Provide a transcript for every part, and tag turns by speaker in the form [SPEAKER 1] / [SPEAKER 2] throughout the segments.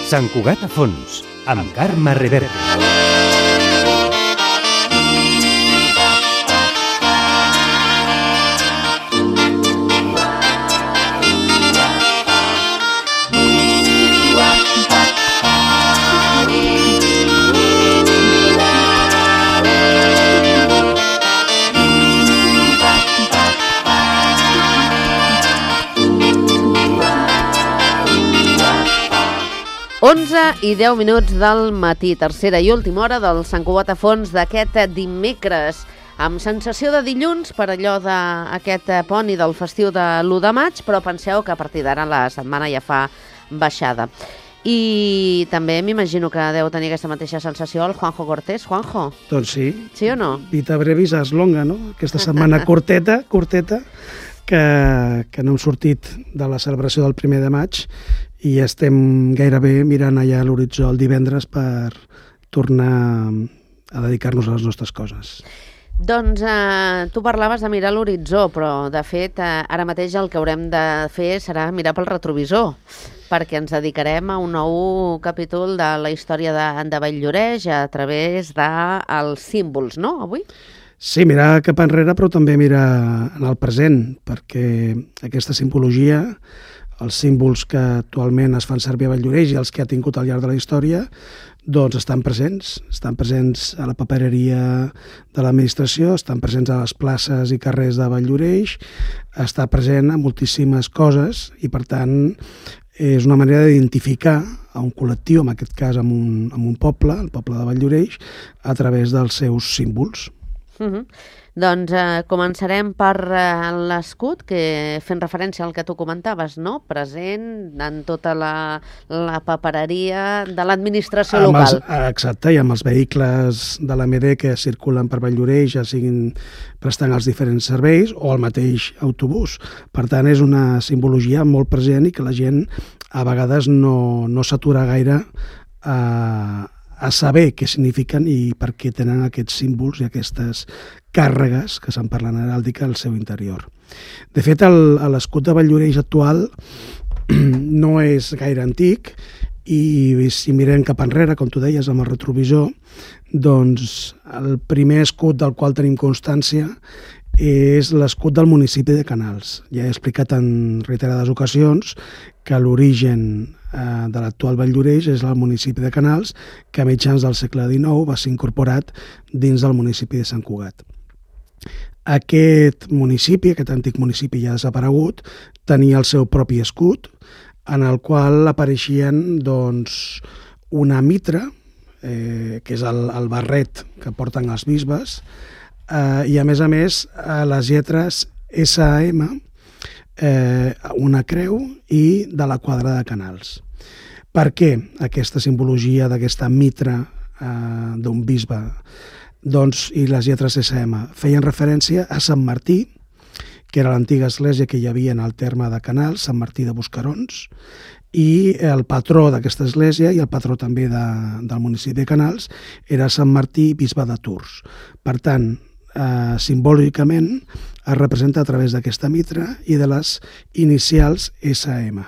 [SPEAKER 1] Sant Cugat a fons, amb Carme Reverte.
[SPEAKER 2] I 10 minuts del matí, tercera i última hora del Sant Cugat a fons d'aquest dimecres, amb sensació de dilluns per allò d'aquest pont i del festiu de l'1 de maig, però penseu que a partir d'ara la setmana ja fa baixada. I també m'imagino que deu tenir aquesta mateixa sensació el Juanjo Cortés. Juanjo?
[SPEAKER 3] Doncs sí.
[SPEAKER 2] Sí o no?
[SPEAKER 3] Vita brevis as longa, no? Aquesta setmana curteta, que no hem sortit de la celebració del 1 de maig i estem gairebé mirant allà a l'horitzó el divendres per tornar a dedicar-nos a les nostres coses.
[SPEAKER 2] Doncs tu parlaves de mirar l'horitzó, però de fet ara mateix el que haurem de fer serà mirar pel retrovisor, perquè ens dedicarem a un nou capítol de la història de Vall-lloreix a través dels símbols, no, avui?
[SPEAKER 3] Sí, mirar cap enrere, però també mirar en el present, perquè aquesta simbologia, els símbols que actualment es fan servir a Vall-lloreix i els que ha tingut al llarg de la història, doncs estan presents a la papereria de l'administració, estan presents a les places i carrers de Vall-lloreix, està present a moltíssimes coses i, per tant, és una manera d'identificar a un col·lectiu, en aquest cas amb un poble, el poble de Vall-lloreix, a través dels seus símbols.
[SPEAKER 2] Doncs començarem per l'escut, que fent referència al que tu comentaves, no? Present en tota la papereria de l'administració local.
[SPEAKER 3] Exacte, i amb els vehicles de l'AMD que circulen per Vall-lloreix, ja siguin prestant els diferents serveis o el mateix autobús. Per tant, és una simbologia molt present i que la gent a vegades no s'atura gaire a saber què signifiquen i per què tenen aquests símbols i aquestes càrregues que se'n parlen heràldica al seu interior. De fet, l'escut de Vall-lloreix actual no és gaire antic i si mirem cap enrere, com tu deies, amb el retrovisor, doncs el primer escut del qual tenim constància és l'escut del municipi de Canals. Ja he explicat en reiterades ocasions que l'origen de l'actual Vall-lloreix és el municipi de Canals, que a mitjans del segle XIX va ser incorporat dins del municipi de Sant Cugat. Aquest antic municipi ja desaparegut, tenia el seu propi escut, en el qual apareixien doncs, una mitra, que és el barret que porten els bisbes, i a més, les lletres S.A.M., una creu i de la quadra de Canals. Per què aquesta simbologia d'aquesta mitra d'un bisbe? Doncs, i les lletres S.M. feien referència a Sant Martí, que era l'antiga església que hi havia en el terme de Canals, Sant Martí de Buscarons, i el patró d'aquesta església i el patró també del municipi de Canals era Sant Martí, bisbe de Tours. Per tant, simbòlicament es representa a través d'aquesta mitra i de les inicials S.M.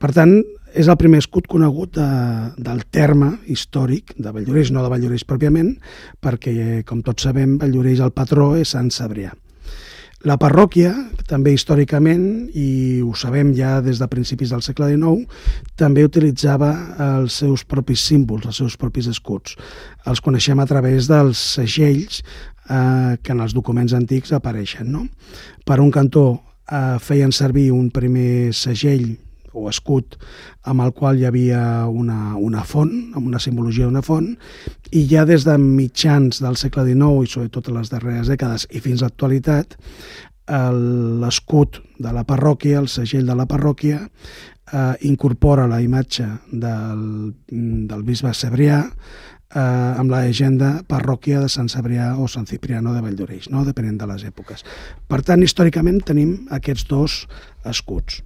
[SPEAKER 3] Per tant, és el primer escut conegut del terme històric de Vall-lloreix, no de Vall-lloreix pròpiament, perquè, com tots sabem, Vall-lloreix el patró és Sant Cebrià. La parròquia, també històricament, i ho sabem ja des de principis del segle XIX, també utilitzava els seus propis símbols, els seus propis escuts. Els coneixem a través dels segells que en els documents antics apareixen, no? Per un cantó feien servir un primer segell o escut amb el qual hi havia una font, amb una simbologia d'una font, i ja des de mitjans del segle XIX i sobretot a les darreres dècades i fins a l'actualitat, l'escut de la parròquia, el segell de la parròquia, incorpora la imatge del bisbe Cebrià amb la llegenda parròquia de Sant Cebrià o Sant Cipriano de Vall-lloreix, no? Depenent de les èpoques. Per tant, històricament tenim aquests dos escuts.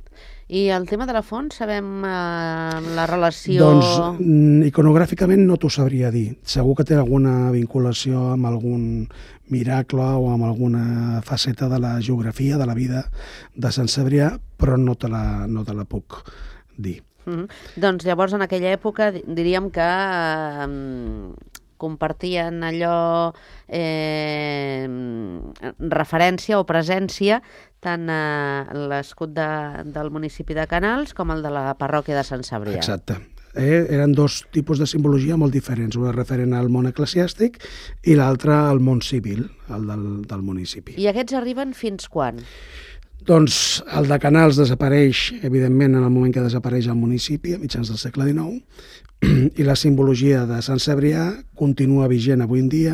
[SPEAKER 2] I el tema de la font, sabem la relació...
[SPEAKER 3] Doncs iconogràficament no t'ho sabria dir. Segur que té alguna vinculació amb algun miracle o amb alguna faceta de la geografia, de la vida de Sant Cebrià, però no te la puc dir.
[SPEAKER 2] Doncs llavors en aquella època diríem que compartien allò referència o presència tant l'escut del municipi de Canals com el de la parròquia de Sant Cebrià.
[SPEAKER 3] Exacte. Eren dos tipus de simbologia molt diferents, una referent al món eclesiàstic i l'altra al món civil, el del municipi.
[SPEAKER 2] I aquests arriben fins quan?
[SPEAKER 3] Doncs el de Canals desapareix, evidentment, en el moment que desapareix el municipi, a mitjans del segle XIX, i la simbologia de Sant Cebrià continua vigent avui en dia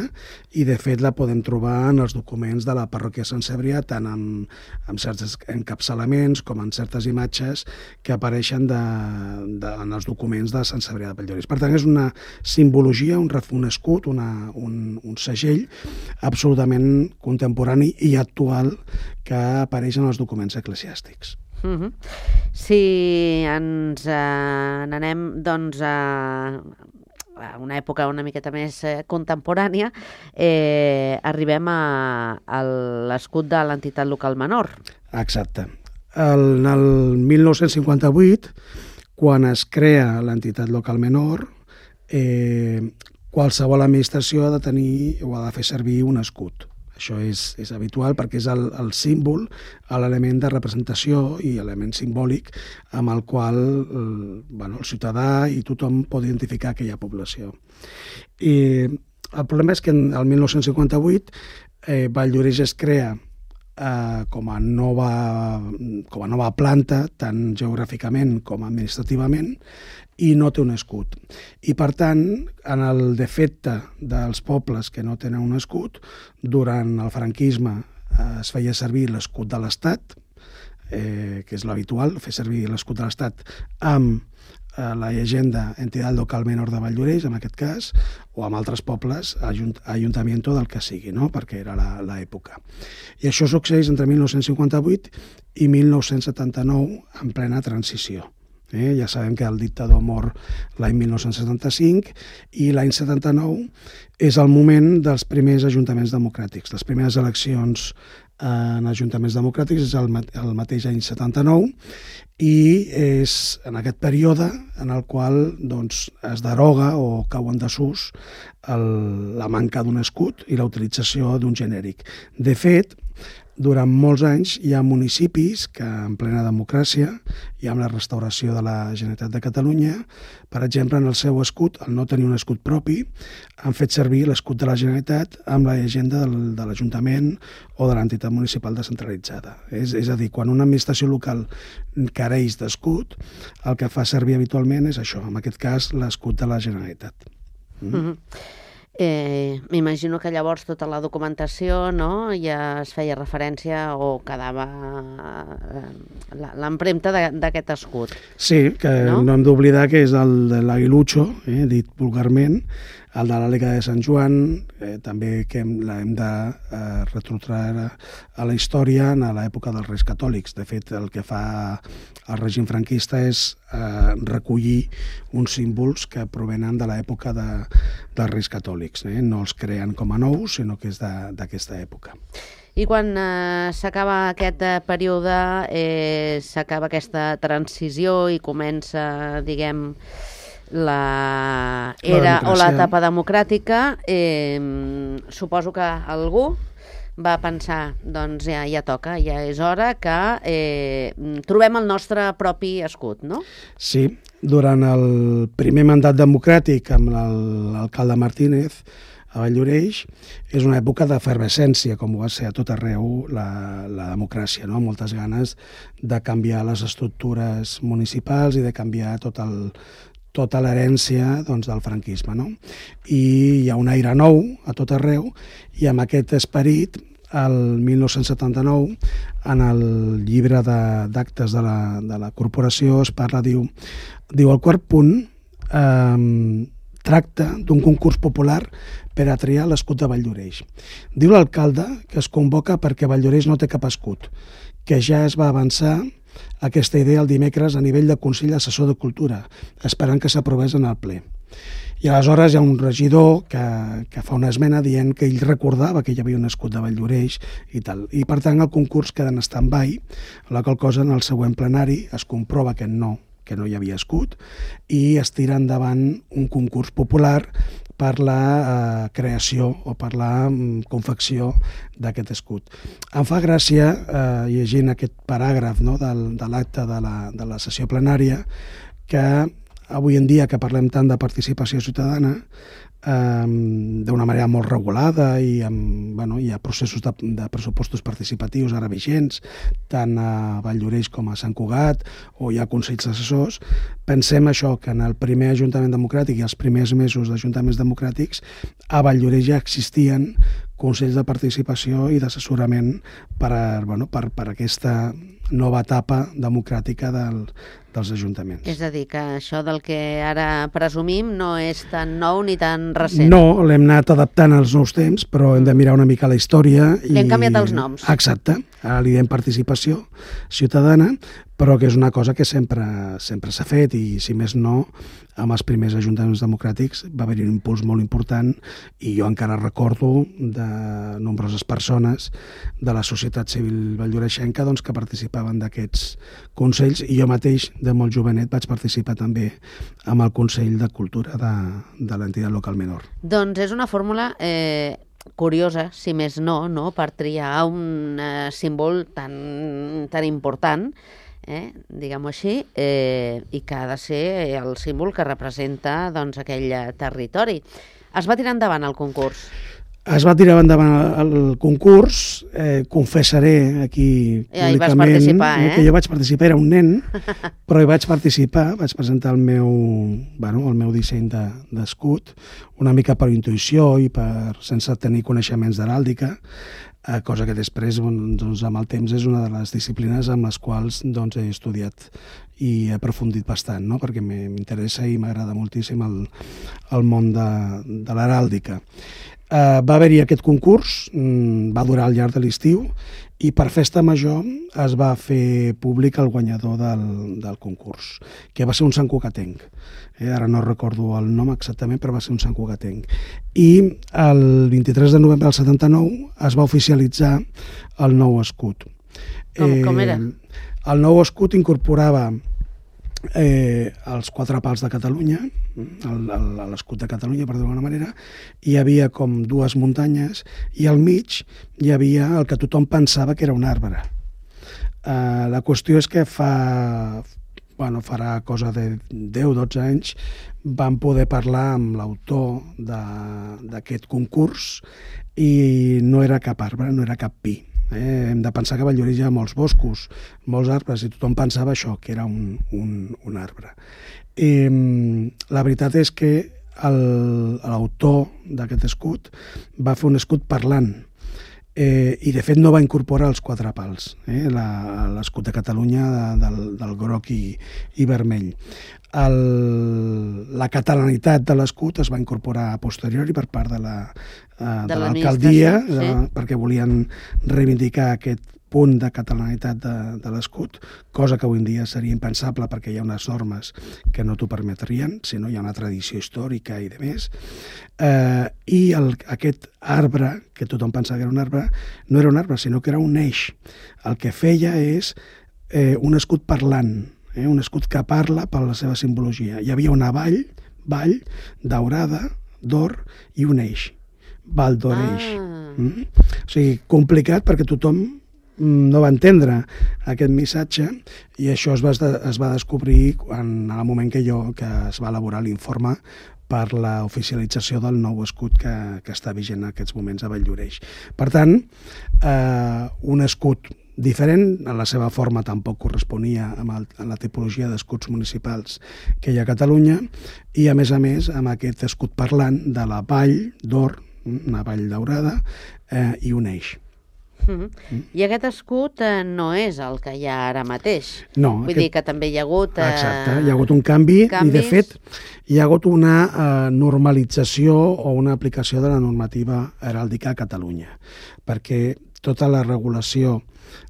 [SPEAKER 3] i, de fet, la podem trobar en els documents de la parròquia de Sant Cebrià, tant en certs encapçalaments com en certes imatges que apareixen en els documents de Sant Cebrià de Valldoreix. Per tant, és una simbologia, un escut, un segell absolutament contemporani i actual que apareix en els documents eclesiàstics.
[SPEAKER 2] Si ens n'anem doncs, a una època una miqueta més contemporània, arribem a l'escut de l'entitat local menor.
[SPEAKER 3] Exacte. En el 1958, quan es crea l'entitat local menor, qualsevol administració ha de tenir o ha de fer servir un escut. Això és habitual perquè és el símbol, l'element de representació i element simbòlic amb el qual el ciutadà i tothom pot identificar aquella població. I el problema és que el 1958 Valldoreix es crea com a nova planta, tant geogràficament com administrativament, i no té un escut. I, per tant, en el defecte dels pobles que no tenen un escut, durant el franquisme es feia servir l'escut de l'Estat, que és l'habitual, fer servir l'escut de l'Estat amb la llegenda Entitat Local Menor de Valldoreix, en aquest cas, o amb altres pobles, Ayuntamiento del que sigui, no? Perquè era l'època. I això succeeix entre 1958 i 1979, en plena transició. Ja sabem que el dictador mor l'any 1975 i l'any 79 és el moment dels primers ajuntaments democràtics. Les primeres eleccions en ajuntaments democràtics és el mateix any 79 i és en aquest període en el qual es deroga o cau en desús la manca d'un escut i la utilització d'un genèric. De fet, durant molts anys hi ha municipis que en plena democràcia i amb la restauració de la Generalitat de Catalunya, per exemple, en el seu escut, al no tenir un escut propi, han fet servir l'escut de la Generalitat amb la llegenda de l'Ajuntament o de l'entitat municipal descentralitzada. És a dir, quan una administració local careix d'escut, el que fa servir habitualment és això, en aquest cas l'escut de la Generalitat.
[SPEAKER 2] M'imagino que llavors tota la documentació ja es feia referència o quedava l'empremta d'aquest escut.
[SPEAKER 3] Sí, que no hem d'oblidar que és el de l'aguilucho, dit vulgarment, el de l'àliga de Sant Joan, també que l'hem de retrotraure a la història en l'època dels Reis Catòlics. De fet, el que fa el règim franquista és recollir uns símbols que provenen de l'època dels Reis Catòlics. No els creen com a nous, sinó que és d'aquesta època.
[SPEAKER 2] I quan s'acaba aquest període, s'acaba aquesta transició i comença, diguem, l'era o l'etapa democràtica, suposo que algú va pensar, doncs ja toca, ja és hora que trobem el nostre propi escut, no?
[SPEAKER 3] Sí, durant el primer mandat democràtic amb l'alcalde Martínez a Valldoreix és una època d'efervescència, com ho va ser a tot arreu la democràcia, no? Moltes ganes de canviar les estructures municipals i de canviar tota l'herència del franquisme, no? I hi ha un aire nou a tot arreu i amb aquest esperit, el 1979, en el llibre d'actes de la corporació es parla, diu el quart punt tracta d'un concurs popular per a triar l'escut de Valldoreix. Diu l'alcalde que es convoca perquè Valldoreix no té cap escut, que ja es va avançar aquesta idea el dimecres a nivell de Consell Assessor de Cultura, esperant que s'aprovés en el ple. I aleshores hi ha un regidor que fa una esmena dient que ell recordava que hi havia un escut de Valldoreix i tal. I per tant el concurs queda en stand-by, la qual cosa en el següent plenari es comprova que no que no hi havia escut, i es tira endavant un concurs popular per la creació o per la confecció d'aquest escut. Em fa gràcia, llegint aquest paràgraf, no, de l'acte de la sessió plenària, que avui en dia que parlem tant de participació ciutadana, d'una manera molt regulada i hi ha processos de pressupostos participatius ara vigents, tant a Valldoreix com a Sant Cugat, o hi ha consells assessors, pensem això, que en el primer Ajuntament Democràtic i els primers mesos d'Ajuntaments Democràtics a Valldoreix ja existien consells de participació i d'assessorament per aquesta nova etapa democràtica dels ajuntaments.
[SPEAKER 2] És a dir, que això del que ara presumim no és tan nou ni tan recent.
[SPEAKER 3] No, l'hem anat adaptant als nous temps, però hem de mirar una mica la història.
[SPEAKER 2] Li hem canviat els noms.
[SPEAKER 3] Exacte. Ara li diem participació ciutadana, però que és una cosa que sempre s'ha fet i, si més no, amb els primers ajuntaments democràtics va haver-hi un impuls molt important i jo encara recordo de nombroses persones de la societat civil valldoreixenca que participaven d'aquests consells, i jo mateix, de molt jovenet, vaig participar també amb el Consell de Cultura de l'entitat local menor.
[SPEAKER 2] Doncs és una fórmula curiosa, si més no, per triar un símbol tan important, diguem-ho així, i que ha de ser el símbol que representa aquell territori. Es va tirar endavant el concurs?
[SPEAKER 3] Es va tirar endavant el concurs, confessaré aquí públicament que jo vaig participar, era un nen, però hi vaig participar, vaig presentar el meu disseny d'escut, una mica per intuïció i sense tenir coneixements d'heràldica, cosa que després, amb el temps, és una de les disciplines amb les quals he estudiat i he aprofundit bastant, perquè m'interessa i m'agrada moltíssim el món de l'heràldica. Va haver-hi aquest concurs, va durar al llarg de l'estiu, i per festa major es va fer públic el guanyador del concurs, que va ser un santcugatenc. Ara no recordo el nom exactament, però va ser un santcugatenc. I el 23 de novembre del 79 es va oficialitzar el nou escut.
[SPEAKER 2] Com era?
[SPEAKER 3] El nou escut incorporava els 4 pals de Catalunya, l'escut de Catalunya, per dir-ho d'alguna manera, hi havia com 2 muntanyes i al mig hi havia el que tothom pensava que era un arbre. La qüestió és que farà cosa de 10-12 anys vam poder parlar amb l'autor d'aquest concurs i no era cap arbre, no era cap pi. Hem de pensar que a Valldoreix hi ha molts boscos, molts arbres, i tothom pensava això, que era un arbre. La veritat és que l'autor d'aquest escut va fer un escut parlant, i de fet no va incorporar els 4 pals, l'escut de Catalunya del groc i vermell. La catalanitat de l'escut es va incorporar a posteriori per part de l'alcaldia, perquè volien reivindicar aquest punt de catalanitat de l'escut, cosa que avui en dia seria impensable perquè hi ha unes normes que no t'ho permetrien, si no hi ha una tradició històrica i de més. I aquest arbre, que tothom pensava que era un arbre, no era un arbre, sinó que era un eix. El que feia és un escut parlant, un escut que parla per la seva simbologia. Hi havia una vall daurada, d'or, i un eix, Val d'Oreix. O sigui, complicat perquè tothom no va entendre aquest missatge, i això es va descobrir en el moment que es va elaborar l'informe per la oficialització del nou escut que està vigent en aquests moments a Valldoreix. Per tant, un escut diferent, en la seva forma tampoc corresponia a la tipologia d'escuts municipals que hi ha a Catalunya, i a més, amb aquest escut parlant de la vall d'or, una vall daurada, i un eix.
[SPEAKER 2] I aquest escut no és el que hi ha ara mateix.
[SPEAKER 3] No.
[SPEAKER 2] Vull dir que també hi ha hagut...
[SPEAKER 3] Exacte, hi ha hagut un canvi, i de fet hi ha hagut una normalització o una aplicació de la normativa heràldica a Catalunya, perquè tota la regulació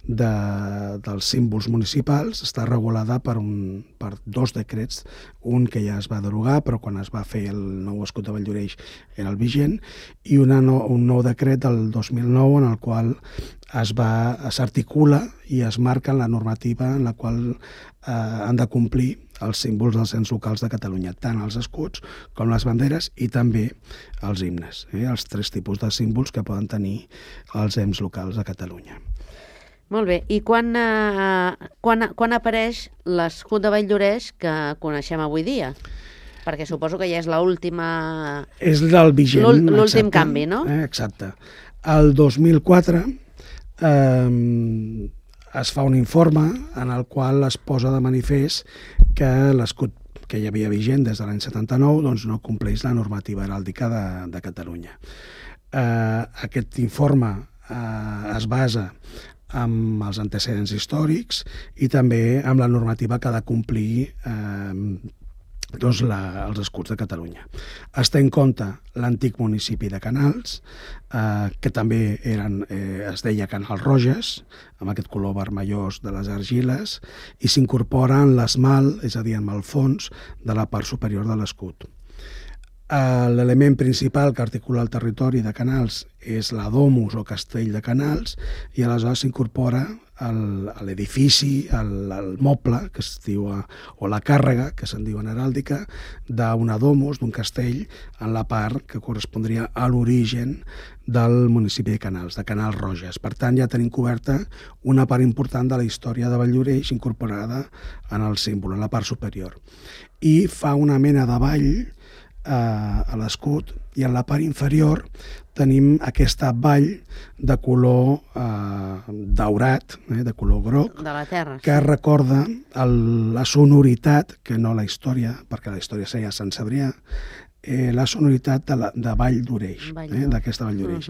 [SPEAKER 3] dels símbols municipals està regulada per 2 decrets, un que ja es va derogar, però quan es va fer el nou escut de Valldoreix era el vigent, i un nou decret del 2009 en el qual s'articula i es marca la normativa en la qual han de complir els símbols dels ens locals de Catalunya, tant els escuts com les banderes i també els himnes, els 3 tipus de símbols que poden tenir els ens locals de Catalunya.
[SPEAKER 2] Molt bé, i quan apareix l'escut de Valldoreix que coneixem avui dia? Perquè suposo que ja és l'última...
[SPEAKER 3] És el vigent.
[SPEAKER 2] L'últim canvi, no?
[SPEAKER 3] Exacte. El 2004 es fa un informe en el qual es posa de manifest que l'escut que hi havia vigent des de l'any 79 doncs no compleix la normativa heràldica de Catalunya. Aquest informe es basa amb els antecedents històrics i també amb la normativa que ha de complir els escuts de Catalunya. Es té en compte l'antic municipi de Canals, que també es deia Canals Roges, amb aquest color vermellós de les argiles, i s'incorpora en l'esmalt, és a dir, en el fons de la part superior de l'escut. L'element principal que articula el territori de Canals és la domus o castell de Canals i aleshores s'incorpora l'edifici, el moble, que es diu, o la càrrega, que se'n diu en heràldica, d'una domus, d'un castell, en la part que correspondria a l'origen del municipi de Canals, de Canals Roges. Per tant, ja tenim coberta una part important de la història de Valldoreix incorporada en el símbol, en la part superior. I fa una mena de vall a l'escut i en la part inferior tenim aquesta vall de color daurat, de color groc,
[SPEAKER 2] de la terra,
[SPEAKER 3] que recorda la sonoritat, que no la història, perquè la història seria Sant Cebrià, la sonoritat de Valldoreix, d'aquesta Valldoreix.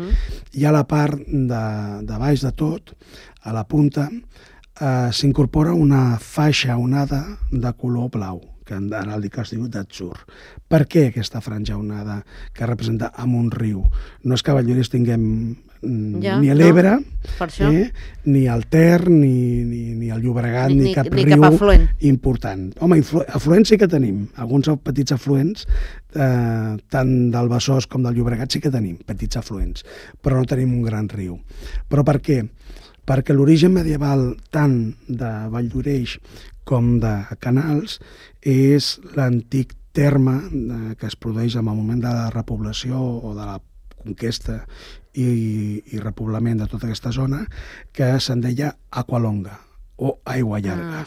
[SPEAKER 3] I a la part de baix de tot, a la punta, s'incorpora una faixa onada de color blau, que en heràldica es diu d'atzur. Per què aquesta franja onada que representa amb un riu? No és que a Valldoreix tinguem ni l'Ebre, ni el Ter, ni el Llobregat, ni cap riu important. Home, afluents sí que tenim. Alguns petits afluents, tant del Besòs com del Llobregat sí que tenim petits afluents, però no tenim un gran riu. Però per què? Perquè l'origen medieval tant de Valldoreix com de Canals és l'antic terme que es produeix en el moment de la repoblació o de la conquesta i repoblament de tota aquesta zona, que se'n deia Aqualonga o Aigua Llarga.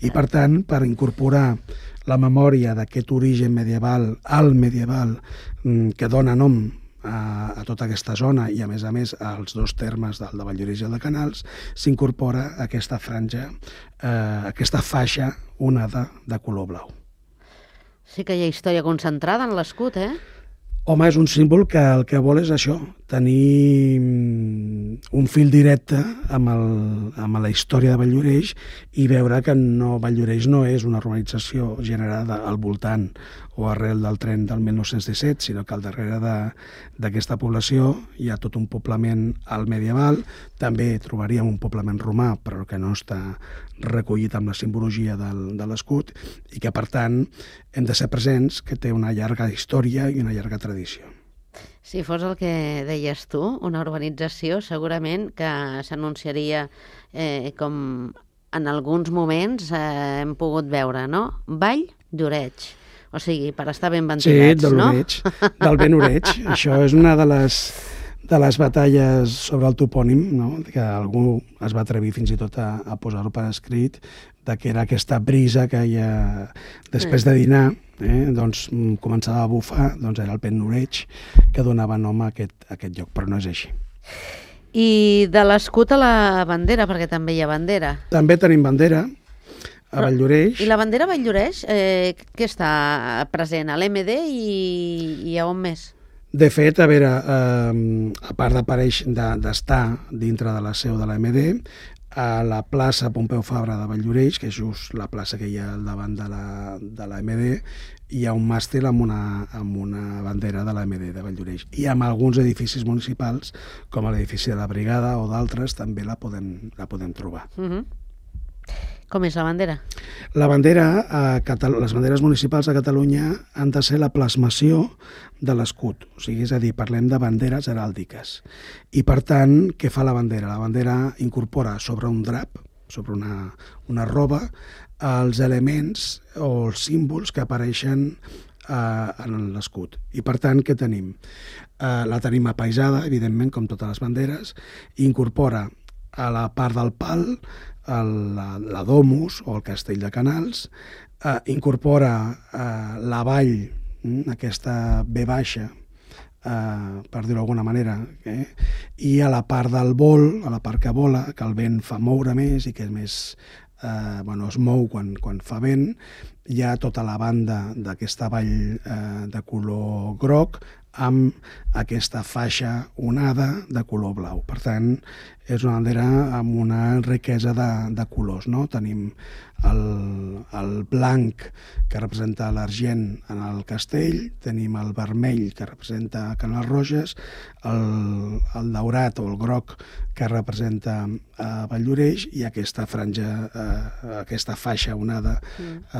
[SPEAKER 3] I per tant, per incorporar la memòria d'aquest origen medieval, alt medieval, que dona nom a tota aquesta zona i a més als 2 termes del de Valldoreix i el de Canals, s'incorpora aquesta franja, aquesta faixa onada de color blau.
[SPEAKER 2] Sí que hi ha història concentrada en l'escut,
[SPEAKER 3] Home, és un símbol que el que vol és això, tenir un fil directe amb la història de Valldoreix i veure que Valldoreix no és una urbanització generada al voltant o arrel del tren del 1917, sinó que al darrere d'aquesta població hi ha tot un poblament alt medieval, també trobaríem un poblament romà, però que no està recollit amb la simbologia de l'escut i que, per tant, hem de ser presents, que té una llarga història i una llarga tradició.
[SPEAKER 2] Si fos el que deies tu, una urbanització, segurament que s'anunciaria com en alguns moments hem pogut veure, no? Valldoreix. O sigui, per estar ben ventilats, no?
[SPEAKER 3] Sí, del ben oreig. Això és una de les batalles sobre el topònim, no? Que algú es va atrevir fins i tot a posar-ho per escrit, que era aquesta brisa que hi ha després de dinar, doncs començava a bufar, doncs era el ben oreig que donava nom a aquest lloc, però no és així.
[SPEAKER 2] I de l'escut a la bandera, perquè també hi ha bandera.
[SPEAKER 3] També tenim bandera a Valldoreix.
[SPEAKER 2] I la bandera a Valldoreix, què està present? A l'MD i a on més?
[SPEAKER 3] De fet, a veure, a part d'estar dintre de la seu de l'AMD, a la plaça Pompeu Fabra de Valldoreix, que és just la plaça que hi ha al davant de l'AMD, hi ha un màstil amb una bandera de l'AMD de Valldoreix. I amb alguns edificis municipals, com l'edifici de la Brigada o d'altres, també la podem trobar.
[SPEAKER 2] Com és la bandera?
[SPEAKER 3] La bandera, les banderes municipals de Catalunya han de ser la plasmació de l'escut. O sigui, és a dir, parlem de banderes heràldiques. I, per tant, què fa la bandera? La bandera incorpora sobre un drap, sobre una roba, els elements o els símbols que apareixen en l'escut. I per tant, què tenim? La tenim apaisada, evidentment, com totes les banderes, i incorpora a la part del pal la domus o el castell de Canals, incorpora la vall, aquesta V baixa, per dir-ho d'alguna manera, i a la part del vol, a la part que vola, que el vent fa moure més i que és més, es mou quan fa vent, hi ha tota la banda d'aquesta vall de color groc amb aquesta faixa onada de color blau. Per tant, és una bandera amb una riquesa de colors, no? Tenim el blanc que representa l'Argent en el castell, tenim el vermell que representa Canals Roges, el daurat o el groc que representa Valldoreix i aquesta franja, aquesta faixa onada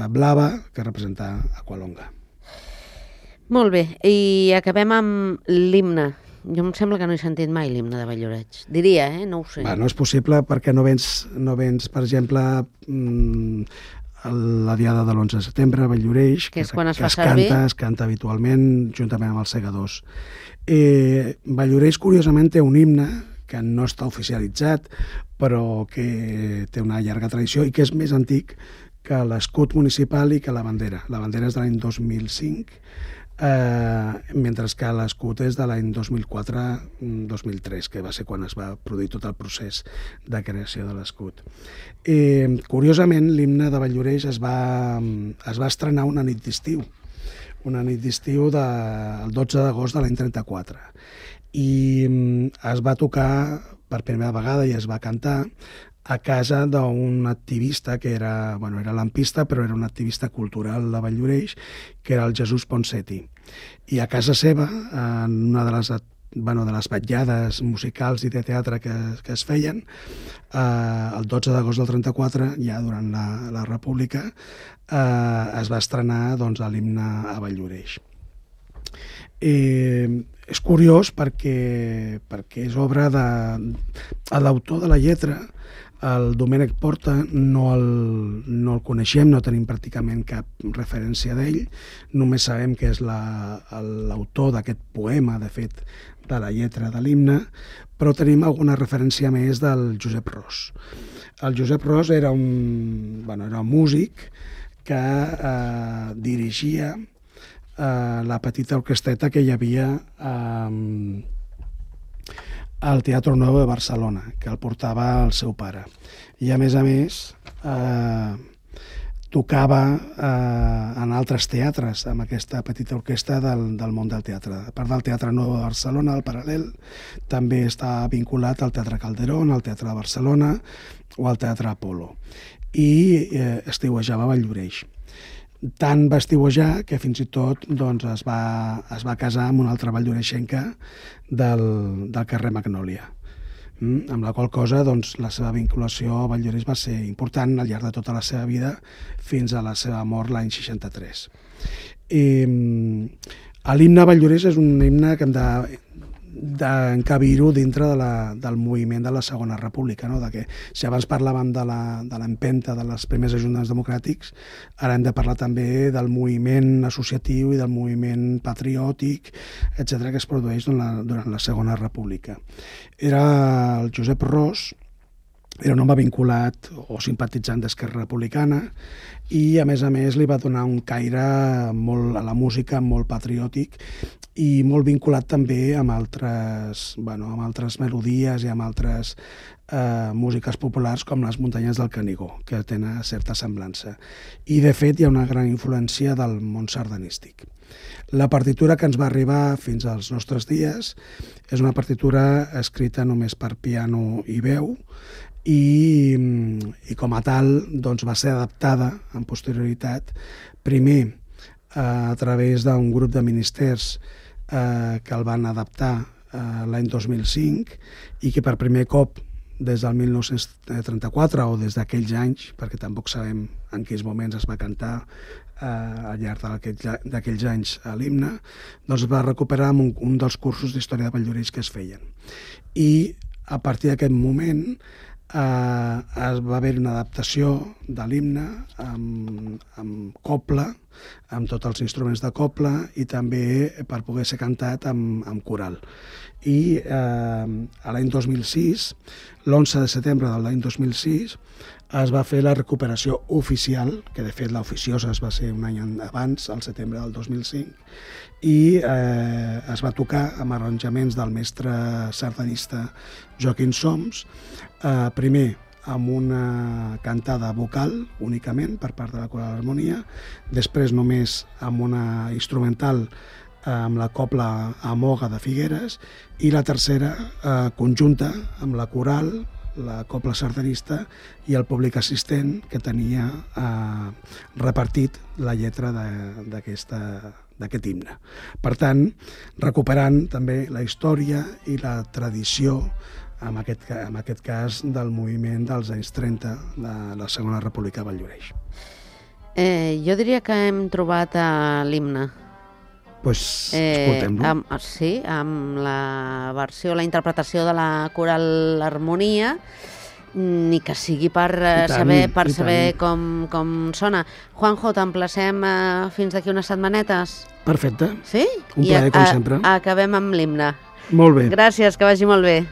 [SPEAKER 3] blava que representa Aqualonga.
[SPEAKER 2] Molt bé, i acabem amb l'himne. Jo em sembla que no he sentit mai l'himne de Valldoreix. Diria, no ho sé.
[SPEAKER 3] No és possible perquè no vens, per exemple, la diada de l'11 de setembre a Valldoreix,
[SPEAKER 2] que és quan es fa servir.
[SPEAKER 3] Es canta habitualment juntament amb els segadors. Valldoreix, curiosament, té un himne que no està oficialitzat, però que té una llarga tradició i que és més antic que l'escut municipal i que la bandera. La bandera és de l'any 2005, mentre que l'escut és de l'any 2004-2003, que va ser quan es va produir tot el procés de creació de l'escut. Curiosament, l'himne de Valldoreix es va estrenar una nit d'estiu, el 12 d'agost de l'any 34, i es va tocar per primera vegada i es va cantar a casa d'un activista que era lampista, però era un activista cultural de Valldoreix, que era el Jesús Ponseti. I a casa seva, en una de les vetllades musicals i de teatre que es feien, el 12 d'agost del 34, ja durant la República, es va estrenar l'himne a Valldoreix. És curiós perquè és obra de l'autor de la lletra, el Domènec Porta, no el coneixem, no tenim pràcticament cap referència d'ell, només sabem que és l'autor d'aquest poema, de fet, de la lletra de l'himne, però tenim alguna referència més del Josep Ros. El Josep Ros era un músic que dirigia la petita orquestreta que hi havia al Teatre Nou de Barcelona, que el portava el seu pare. I a més, tocava en altres teatres amb aquesta petita orquestra del món del teatre. A part del Teatre Nou de Barcelona, al Paral·lel, també està vinculat al Teatre Calderón, al Teatre de Barcelona o al Teatre Apolo. I estiuejava a Valldoreix. Tant va estiuejar que fins i tot es va casar amb una altra valldoreixenca del carrer Magnòlia, amb la qual cosa la seva vinculació a Valldoreix va ser important al llarg de tota la seva vida fins a la seva mort l'any 63. L'himne a Valldoreix és un himne que hem d'encabir-ho dintre del moviment de la Segona República, no? Que si abans parlàvem de l'empenta de les primers ajuntaments democràtics, ara hem de parlar també del moviment associatiu i del moviment patriòtic, etc., que es produeix durant la Segona República. Era el Josep Ros, era un home vinculat o simpatitzant d'Esquerra Republicana i, a més, li va donar un caire a la música molt patriòtic i molt vinculat també amb altres melodies i amb altres músiques populars com les muntanyes del Canigó, que tenen certa semblança. I, de fet, hi ha una gran influència del món sardanístic. La partitura que ens va arribar fins als nostres dies és una partitura escrita només per piano i veu, i com a tal va ser adaptada en posterioritat, primer a través d'un grup de ministers que el van adaptar l'any 2005 i que per primer cop des del 1934 o des d'aquells anys, perquè tampoc sabem en quins moments es va cantar al llarg d'aquells anys a l'himne, es va recuperar amb un dels cursos d'història de Valldoreix que es feien. I a partir d'aquest moment va haver una adaptació de l'himne amb copla, amb tots els instruments de copla i també per poder ser cantat amb coral. I l'any 2006, l'11 de setembre de l'any 2006, es va fer la recuperació oficial, que de fet l'oficiosa es va ser un any abans, al setembre del 2005, i es va tocar amb arranjaments del mestre sardanista Joaquim Soms, primer amb una cantada vocal únicament per part de la Coral Harmonia, després només amb una instrumental amb la copla Amoga de Figueres i la tercera conjunta amb la coral, la copla sardanista i el públic assistent que tenia repartit la lletra d'aquest himne. Per tant, recuperant també la història i la tradició, en aquest cas, del moviment dels anys 30 de la Segona República de Valldoreix.
[SPEAKER 2] Jo diria que hem trobat l'himne.
[SPEAKER 3] Doncs escoltem-lo.
[SPEAKER 2] Sí, amb la versió, la interpretació de la Coral Harmonia, ni que sigui per saber com sona. Juanjo, t'emplacem fins d'aquí unes setmanetes?
[SPEAKER 3] Perfecte.
[SPEAKER 2] Sí?
[SPEAKER 3] Un plaer, com sempre.
[SPEAKER 2] Acabem amb l'himne.
[SPEAKER 3] Molt bé.
[SPEAKER 2] Gràcies, que vagi molt bé.